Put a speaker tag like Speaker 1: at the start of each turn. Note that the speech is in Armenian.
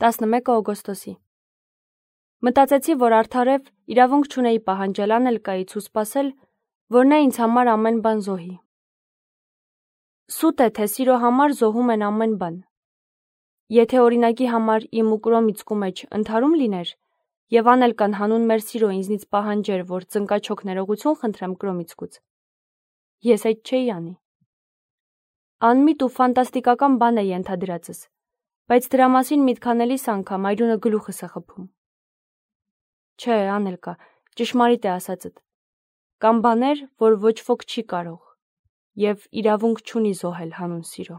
Speaker 1: 11 օգոստոսի։ Մտածեցի, որ արդարև իրավունք չունեի պահանջել Անելկայից ու սպասել, որ նա ինձ համար ամեն բան զոհի։ Սուտ է, թե սիրո համար զոհում են ամեն բան։ Եթե օրինակի համար իմ ու Կրոմիցկու մեջ ընդհարում լիներ, եւ Անելկան հանուն մեր սիրո ինձնից պահանջեր, որ ծնկաչոք ներողություն խնդրեմ Կրոմիցկուց, ես այդ չէի անի։ Անմիտ ու ֆանտաստիկական բան է ենթադրածս, բայց դրա մասին միտք անելիս անգամ այրունը գլուխս է խփում։ Չէ, Անելկա, ճշմարիտ է ասածդ։ Կան բաներ, որ ոչ ոք չի կարող, եւ իրավունք չունի զոհել հանուն սիրո։